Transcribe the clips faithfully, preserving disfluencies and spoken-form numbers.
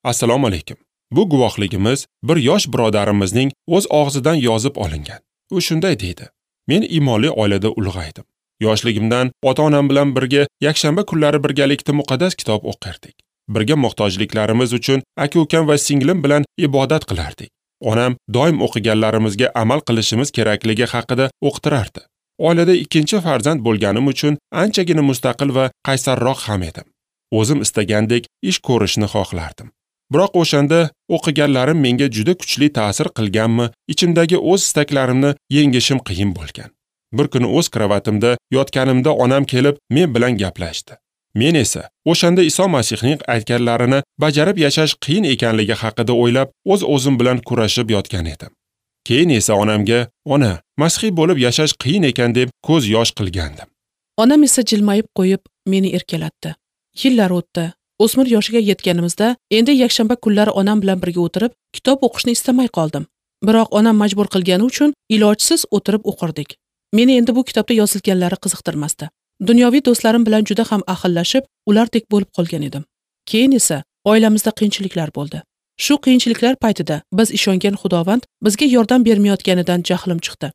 Assalomu alaykum. Bu guvohligimiz bir yosh birodarimizning o'z og'zidan yozib olingan. U shunday deydi: Men iymonli oilada ulg'aydim. Yoshligimdan ota-onam bilan birga yakshanba kunlari birgalikda muqaddas kitob o'qirdik. Birga muhtojliklarimiz uchun aka-ukam va singlim bilan ibodat qilardik. Onam doim o'qiganlarimizga amal qilishimiz kerakligi haqida o'qitirardi. Oilada ikkinchi farzand bo'lganim uchun anchagina mustaqil va qaysarroq ham edim. O'zim istagandek ish ko'rishni xohlardim. Biroq o'shanda o'qiganlarim menga juda kuchli ta'sir qilganmi, ichimdagi o'z istaklarimni yengishim qiyin bo'lgan. Bir kuni o'z kravatimda yotganimda onam kelib men bilan gaplashdi. Men esa o'shanda Iso Masihning aytganlarini bajarib yashash qiyin ekanligi haqida o'ylab, o'z-o'zim bilan kurashib yotgan edim. Keyin esa onamga, "Ona, masihiy bo'lib yashash qiyin ekan" deb ko'z yosh qilgandim. Onam esa jilmayib qo'yib meni erkalatdi. Yillar o'tdi. O'smir yoshiga yetganimizda endi yakshanba kunlari onam bilan birga o'tirib kitob o'qishni istamay qoldim. Biroq onam majbur qilgani uchun ilojsiz o'tirib o'qirdik. Meni endi bu kitobda yozilganlari qiziqtirmasdi. Dunyoviy do'stlarim bilan juda ham ahillashib, ulardek bo'lib qolgan edim. Keyin esa oilamizda qiyinchiliklar bo'ldi. Shu qiyinchiliklar paytida biz ishongan Xudovand bizga yordam bermayotganidan jahlim chiqdi.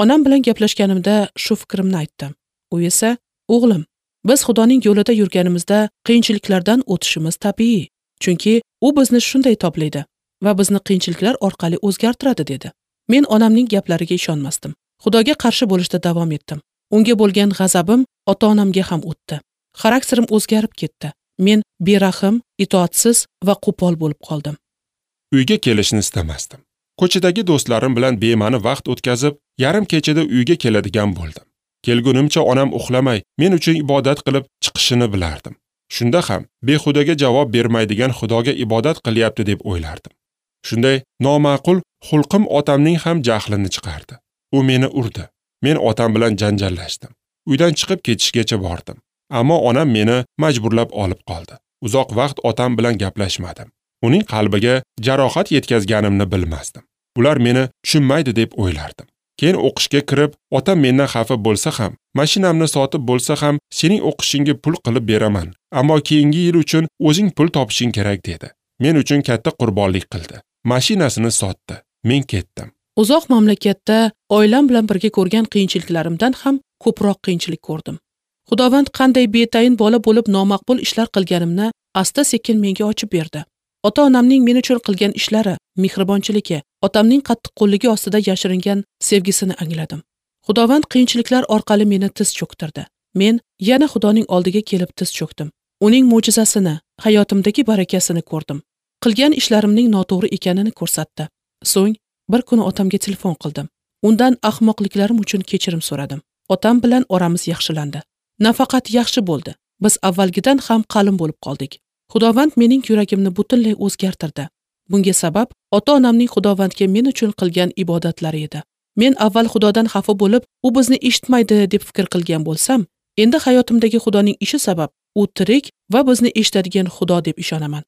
Onam bilan gaplashganimda shu fikrimni aytdim. U esa, "O'g'lim, biz Xudoning yo'lida yurganimizda qiyinchiliklardan o'tishimiz tabiiy, chunki u bizni shunday toblaydi va bizni qiyinchiliklar orqali o'zgartiradi" dedi. Men onamning gaplariga ishonmasdim. Xudoga qarshi bo'lishda davom etdim. Unga bo'lgan g'azabim ota-onamga ham o'tdi. Xarakterim o'zgarib ketdi. Men berahm, itoatsiz va qo'pol bo'lib qoldim. Uyga kelishni istamasdim. Ko'chadagi do'stlarim bilan bema'ni vaqt o'tkazib, yarim kechada uyga keladigan bo'ldim. Kelgunimcha onam uxlamay, men uchun ibodat qilib chiqishini bilardim. Shunda ham behudaga javob bermaydigan Xudoga ibodat qilyapti deb o'ylardim. Shunday noma'qul xulqim otamning ham jahlini chiqardi. U meni urdi. Men otam bilan janjallashdim. Uydan chiqib ketishgacha bordim. Ammo onam meni majburlab olib qoldi. Uzoq vaqt otam bilan gaplashmadim. Uning qalbiga jarohat yetkazganimni bilmasdim. Ular meni tushunmaydi deb o'ylardim. Keyin o'qishga kirib, otam mendan xafa bo'lsa ham, mashinamni sotib bo'lsa ham, sening o'qishingga pul qilib beraman. Ammo keyingi yil uchun o'zing pul topishing kerak dedi. Men uchun katta qurbonlik qildi. Mashinasini sotdi. Men ketdim. Uzoq mamlakatda oilam bilan birga ko'rgan qiyinchiliklarimdan ham ko'proq qiyinchilik ko'rdim. Xudovand qanday betayin bola bo'lib nomaqbul ishlar qilganimni asta-sekin menga ochib berdi. Ota-onamning men uchun qilgan ishlari, mehribonchiligi, otamning qattiqqo'lligi ostida yashiringan sevgisini angladim. Xudovand qiyinchiliklar orqali meni tiz cho'ktirdi. Men yana Xudoning oldiga kelib tiz cho'kdim. Uning mo'jizasini, hayotimdagi barakasini ko'rdim. Qilgan ishlarimning noto'g'ri ekanini ko'rsatdi. So'ng bir kuni otamga telefon qildim. Undan ahmoqliklarim uchun kechirim so'radim. Otam bilan oramiz yaxshilandi. Nafaqat yaxshi bo'ldi. Biz avvalgidan ham qalin bo'lib qoldik. Xudovand mening yuragimni butunlay o'zgartirdi. Bunga sabab ota-onamning Xudovandga men uchun qilgan ibodatlari edi. Men avval Xudodan xafa bo'lib, u bizni eshitmaydi deb fikr qilgan bo'lsam, endi hayotimdagi Xudoning ishi sabab u tirik va bizni eshitadigan Xudo deb ishonaman.